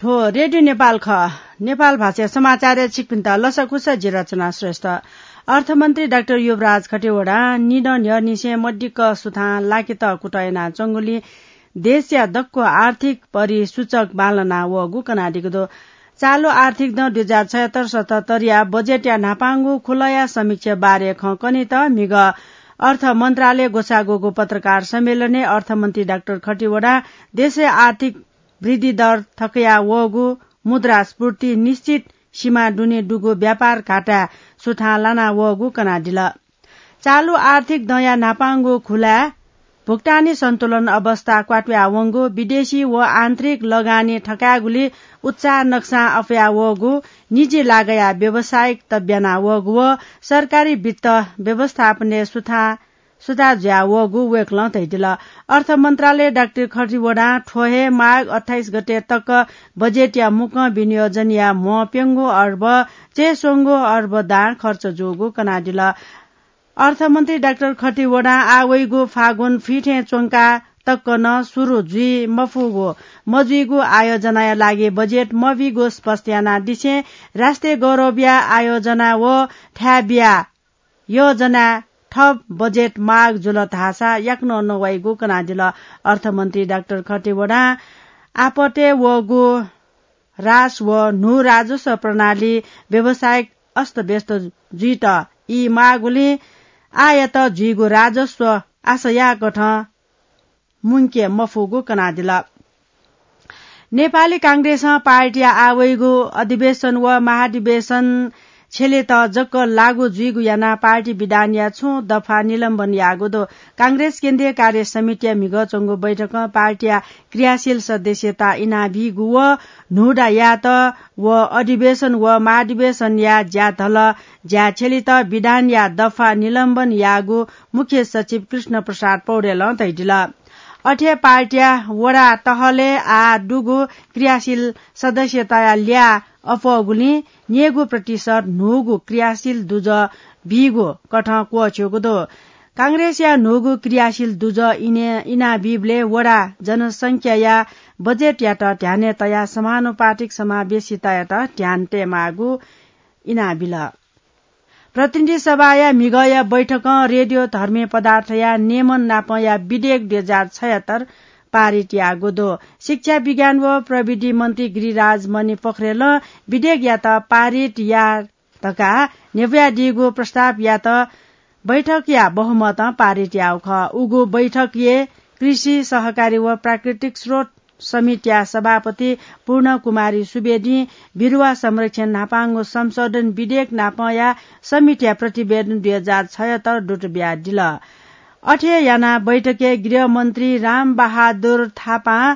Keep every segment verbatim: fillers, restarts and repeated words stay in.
थ्व रेडियो नेपाल खः। नेपाल भाषा समाचारय् छिकपिन्त लसकुस, जि रचना श्रेष्ठ। अर्थमन्त्री डाक्टर युवराज खतिवडां निदँ न्ह्यःनिसें मदिक्क सुथां लाकेत कुतः यानाच्वंगुलिं देशया दक्व आर्थिक परिसूचक बांलाना वःगु कनादीगु दु। चालु आर्थिक दँ दुई हजार छयत्तर सतहत्तरया बजेटया न्हापांगु खुलया समीक्षा बारे खँ कनेत म्हिगः अर्थ मन्त्रालय ग्वसाः ग्वःगु पत्रकार सम्मेलनय् अर्थमन्त्री डाक्टर खतिवडां देशय् आर्थिक वृद्धि दर थकया वःगु, मुद्रास्फूर्ति निश्चित सीमा दुने दुगु व्यापार घाटाय् सुथां लाना वःगु कनादिल। चालु आर्थिक दँया न्हापांगु खुलाय् भुक्तानी सन्तुलन अवस्था क्वात्वाया वंगु, विदेशी व आन्तरिक लगानी थकायेगुली उत्साह नक्सां अप्वया वःगु, निजी लागया व्यावसायिक तब्याना वःगु व सरकारी वित्त व्यवस्थापनय् सुथा सुधा जुया वःगु वय्कलं धयादिल। अर्थ मन्त्रालय डाक्टर खतिवडां थ्व हे माघ अट्ठाइस गते तक बजेटया मुक्कं विनियोजनया म्ह प्यंगू अर्ब चय्स्वंगू अर्ब दां खर्च जूगु कनादिल। अर्थमन्त्री डाक्टर खतिवडां आः वइगु फागुन फिथें च्वंका तक नं सुरु जुइ मफुगु, मजुइगु आयोजनाया लागि बजेट मबीगु स्पष्ट यानादिसें राष्ट्रिय गौरवया आयोजना व थाय् बिया योजना थप बजेट माग जुल धाःसा याकनं नवाइगु कनादिल। अर्थमन्त्री डाक्टर खतिवडां आपतय् वःगु ह्रास व न्हू राजस्व प्रणाली व्यावसायिक अस्तव्यस्त जुइत ई माःगुलिं आःयात जुइगु राजस्व आशा याःकथं मुंके मफुगु कनादिल। नेपाली कांग्रेसं पार्टीया आः वइगु अधिवेशन व महाधिवेशन छ्यलेत जक लागू जुइगु यानाः पार्टी विधानया छुं दफा निलम्बन याःगु दु। कांग्रेस केन्द्रीय कार्य समितिया म्हिगः च्वंगु बैठकं पार्टीया क्रियाशील सदस्यता इनाबीगु व न्हूदँ यायेत व अधिवेशन व महाधिवेशनया ज्या धल ज्या छ्यलेत विधानया दफा निलम्बन याःगु मुख्य सचिव कृष्ण प्रसाद पौडेलं धयादिल। अथे पार्टीया वडा तहलय् आः दुगु क्रियाशील सदस्यताया ल्याः अप्वःगुलिं न्यय्गू प्रतिशत न्हूगु क्रियाशील दुजः बीगु कथं क्वःछ्यूगु दु। कांग्रेसया न्हूगु क्रियाशील दुजः इने-, इनाबीबलय् वडा जनसंख्याया बजेटयात ध्यानय् तयाः समानुपातिक समावेशितायात ध्यान तयेमाःगु इनाबिल। प्रतिनिधि सभाया म्हिगःया बैठकं रेडियो धर्मी पदार्थया नियमन नापंया विधेयक दुई हजार छयत्तर पारित याःगु दु। शिक्षा, विज्ञान व प्रविधि मन्त्री गिरिराज मणि पोखरेलं विधेयकयात पारित या धकाः न्ह्यब्वयादीगु प्रस्तावयात बैठकया बहुमतं पारित याःगु खः। उगु बैठकय् कृषि, सहकारी व प्राकृतिक स्रोत समितिया सभापति पूर्ण कुमारी सुवेदीं बिरुवा संरक्षण न्हापांगु संशोधन विधेयक नापंया समितिया प्रतिवेदन दुई हजार छयत्तर दुत बियादिल। अथे यानाः बैठकय् गृहमन्त्री रामबहादुर थापां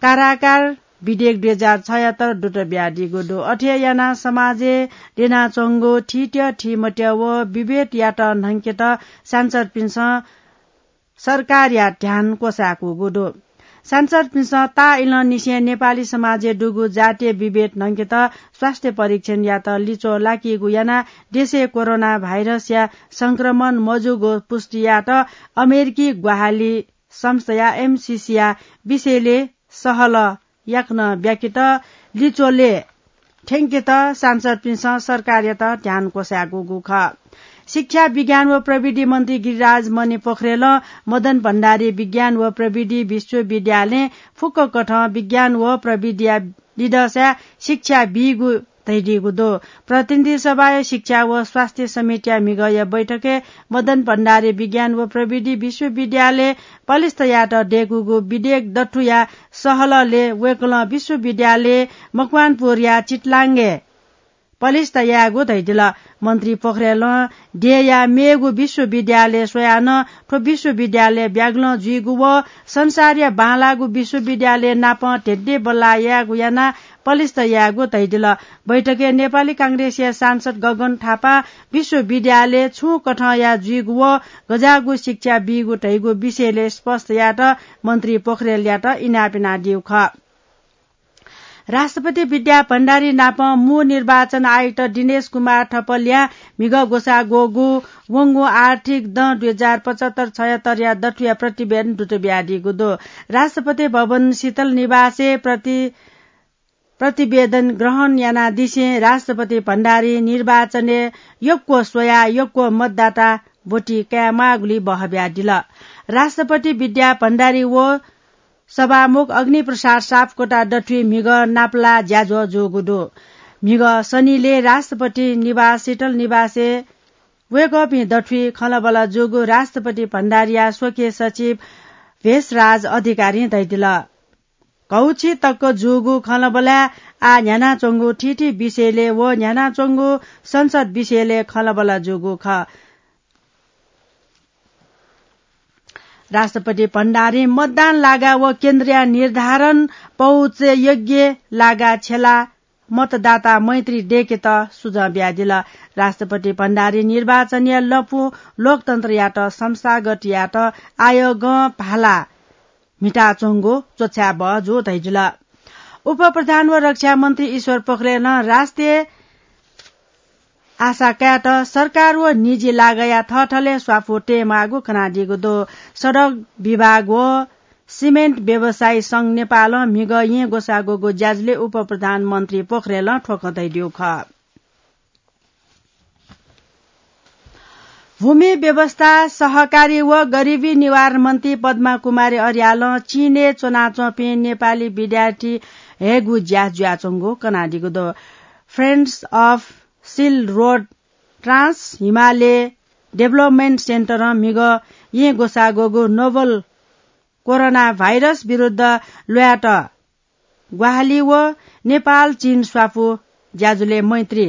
कारागार विधेयक दुई हजार छयत्तर दुत बियादीगु दु। अथे यानाः समाजय् द्यनाच्वंगु थीत्यः थीमत्यः व विभेदयात न्हंकेत सांसदपिन्सं सरकारया ध्यान क्वसाय्कूगु दु। सांसदपिन्सं ताःइलंनिसें नेपाली समाजय् दुगु जातीय विभेद न्हंकेत स्वास्थ्य परीक्षणयात लिच्वः लाकीगु यानाः देशय् कोरोना भाइरसया संक्रमण मजूगु पुष्टि यायेत अमेरिकी ग्वाहालि संस्थाया एमसिसीया विषयलय् सहलह याकनं ब्याकेत लिच्वलय् थ्यंकेत सांसदपिन्सं सरकारयात ध्यान क्वसाय्कूगु खः। शिक्षा, विज्ञान व प्रविधि मन्त्री गिरिराज मणि पोखरेलं मदन भण्डारी विज्ञान व प्रविधि विश्वविद्यालयं फुक्क कथं विज्ञान व प्रविधिया लिधंसाय् शिक्षा बीगु धयादीगु दु। प्रतिनिधि सभाया शिक्षा व स्वास्थ्य समितिया म्हिगःया बैठकय् मदन भण्डारी विज्ञान व प्रविधि विश्वविद्यालय पलिस्था यायेत दय्कूगु विधेयक दथुया सहलहलय् वय्कलं विश्वविद्यालय मकवानपुरया चितलाङय् पलिस्था यायेगु धयादिल। मन्त्री पोखरेलं देय्‌या मेगु विश्वविद्यालय स्वयाः नं थ्व विश्वविद्यालय ब्यागलं जुइगु व संसारया बांलाःगु विश्वविद्यालय नाप धेंधेंबल्लाः यायेगु यानाः पलिस्था यायेगु धयादिल। बैठकय् नेपाली कांग्रेसया सांसद गगन थापां विश्वविद्यालय छुं कथंया जुइगु व गज्याःगु शिक्षा बीगु धइगु विषयलय् स्पष्ट यायेत मन्त्री पोखरेलयात इनाप यानादीगु खः। राष्ट्रपति विद्या भण्डारी नाप मू निर्वाचन आयुक्त दिनेश कुमार थपलियां म्हिगः ग्वसाः ग्वःगु वंगु आर्थिक दँ दुई हजार पचहत्तर छयत्तरया दथुया प्रतिवेदन दुत बियादीगु दु। राष्ट्रपति भवन शीतल निवासय् प्रति प्रतिवेदन ग्रहण यानादिसें राष्ट्रपति भण्डारी निर्वाचनय् यक्व स्वयाः यक्व मतदाता ब्वति कायेमाःगुली बहब्यादिल। राष्ट्रपति विद्या भण्डारी व सभामुख अग्निप्रसाद सापकोटा दथुइ म्हिगः नापलाः ज्याझ्वः जूगु दु। म्हिगः शनिले राष्ट्रपति निवास शीतल निवासय् वय्कःपिं दथुइ खँल्हाबल्हा जूगु राष्ट्रपति भण्डारीया स्वकीय सचिव भेषराज अधिकारीं धयादिल। घौछि तक जूगु खँल्हाबल्हाय् आः न्ह्यानाच्वंगु थीथी विषयलय् व न्ह्यानाच्वंगु संसद विषयलय् खँल्हाबल्हा जूगु खः। राष्ट्रपति भण्डारीं मतदान लागा व केन्द्रया निर्धारण पहुँचय् योग्य लागा छ्यला मतदाता मैत्री दय्केत सुझाव बियादिल। राष्ट्रपति भण्डारी निर्वाचनया लँपु लोकतन्त्रयात संस्थागत यायेत आयोगं भाला म्हिताच्वंगु च्वछाय् बहःजू धयादिल। उपप्रधान व रक्षा मन्त्री ईश्वर पोखरेलं राष्ट्रिय आशा कायेत सरकार व निजी लागःया थःथलय् स्वापू तयेमाःगु कनादीगु दु। सडक विभाग व सिमेन्ट व्यवसायी संघ नेपालं म्हिगः येँ ग्वसाः ग्वःगु ज्याझ्वलय् उपप्रधानमन्त्री पोखरेलं थ्व खँ धयादीगु खः। भूमि व्यवस्था, सहकारी व गरिबी निवारण मन्त्री पद्मा कुमारी अर्यालं चीनय् च्वनाच्वंपिं नेपाली विद्यार्थी हयेगु ज्या जुयाच्वंगु कनादीगु दु। Friends of Silk Road Trans Himalaya Development Centreं म्हिगः येँ ग्वसाः ग्वःगु नोभल कोरोना भाइरस विरुद्ध ल्वायेत ग्वाहालि व नेपाल चीन स्वापू ज्याझ्वलय् मैत्री।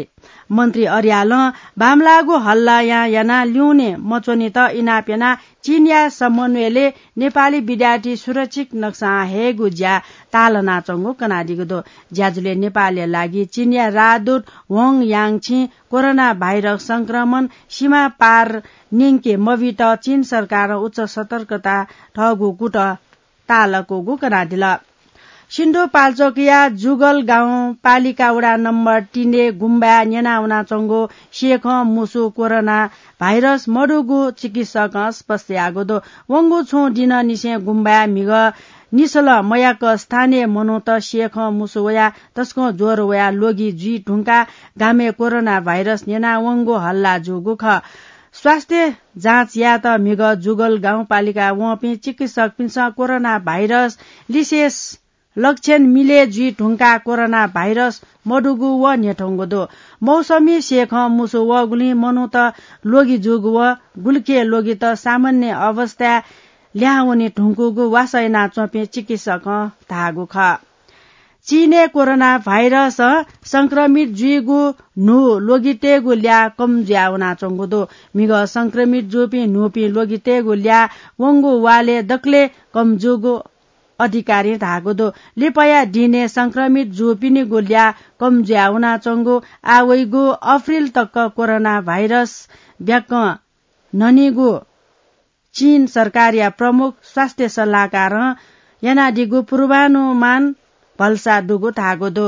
मन्त्री अर्यालं बांमलाःगु हल्लायां यानाः ल्यूने मच्वनेत इनाप यानाः चीनया समन्वयलय् नेपाली विद्यार्थी सुरक्षित नक्सां हयेगु ज्या ताःलानाच्वंगु कनादीगु दु। ज्याझ्वलय् नेपालया लागि चीनया राजदूत वाङ याङछिं कोरोना भाइरस संक्रमण सीमा पार न्यंके मबीत चीन सरकारं उच्च सतर्कता थःगु कुतः ताःलाकूगु कनादिल। सिन्धुपाल्चोकया जुगल गाउँपालिका वडा नम्बर तीनय् गुम्बाय् न्यनावनाच्वंगु स्येखं मुसु कोरोना भाइरस मदुगु चिकित्सकं स्पष्ट याःगु दु। वंगु छुं दिनंनिसें गुम्बाय् म्हिगः निसलं मयाक स्थानीय मनूत स्येखं मुसु वयाः तसकं ज्वर वयाः ल्वगि जुइ धुंकाः गामय् कोरोना भाइरस न्यनावंगु हल्ला जूगु खः। स्वास्थ्य जाँच यायेत म्हिगः जुगल गाउँपालिका वंपिं चिकित्सकपिन्सं कोरोना भाइरस लिसें लक्षण मिले जुइ धुंकाः कोरोना भाइरस मदुगु व न्ह्यथंगु दु। मौसमी स्येखं मुसु वःगुलिं मनूत ल्वगि जूगु व गुलिखे ल्वगित सामान्य अवस्थाय् ल्याहां वने धुंकूगु वासः यानाच्वंपिं चिकित्सकं धाःगु खः। चीनय् कोरोना भाइरसं संक्रमित जुइगु न्हू ल्वगितय्गु ल्याः कम जुयावनाच्वंगु दु। म्हिगः संक्रमित जूपिं न्हूपिं ल्वगितय्गु ल्याः वंगु वालय् दकलय् कम जूगु अधिकारीं धाःगु दु। लिपाया दिनय् संक्रमित जूपिनिगु ल्याः कम जुयावनाच्वंगु आः वइगु अप्रिल तक कोरोना भाइरस ब्याकं न्हनीगु चीन सरकारया प्रमुख स्वास्थ्य सल्लाहकारं यानादीगु पूर्वानुमान भलसा दुगु धाःगु दु।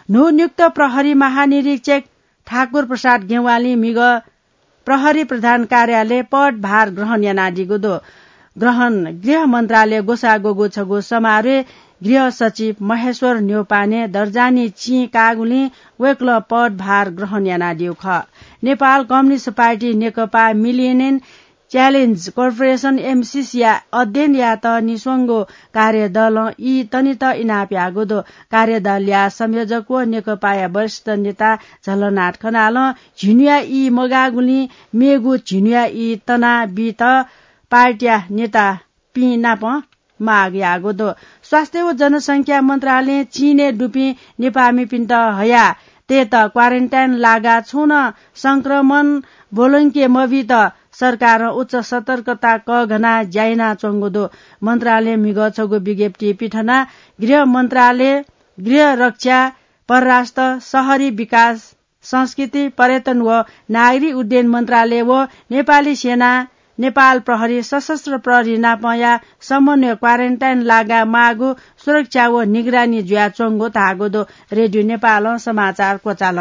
न्हूनियुक्त प्रहरी महानिरीक्षक ठाकुर प्रसाद गेवालीं म्हिगः प्रहरी प्रधान कार्यालय पदभार ग्रहण यानादीगु दु। ग्रहण गृह मन्त्रालय ग्वसाः ग्वःगु छगू समारोहय् गृह सचिव महेश्वर न्यौपाने दर्जानी चिं काःगुलिं वय्कलं पदभार ग्रहण यानादीगु खः। Nepal communist party Nekapa millennium challenge corporation, एमसिसीया अध्ययन यायेत निस्वंगु कार्यदलं ई तनेत इनाप याःगु दु। कार्यदलया संयोजक व नेकपाया वरिष्ठ नेता झलनाथ खनालं झिन्हुया ई मगाःगुलिं मेगु झिन्हुया ई तना बीत पार्टीया नेतापिं नाप माग याःगु दु। स्वास्थ्य व जनसंख्या मन्त्रालयं चीनय् दुपिं नेपाःमिपिन्त हया तयेत क्वारेन्टाइन लागाः छुं नं संक्रमण ब्वलंके मबीत सरकारं उच्च सतर्कता कःघानाः ज्या यानाच्वंगु दु। मन्त्रालयं म्हिगः छगू विज्ञप्ति पिथनाः गृह मन्त्रालय, गृह रक्षा, परराष्ट्र, शहरी विकास, संस्कृति, पर्यटन व नागरिक उड्डयन मन्त्रालय व नेपाली सेना, नेपाल प्रहरी, सशस्त्र प्रहरी नापंया समन्वय क्वारेन्टाइन लागाः माःगु सुरक्षा व निगरानी जुयाच्वंगु धाःगु दु। रेडियो नेपालं समाचार क्वचाल।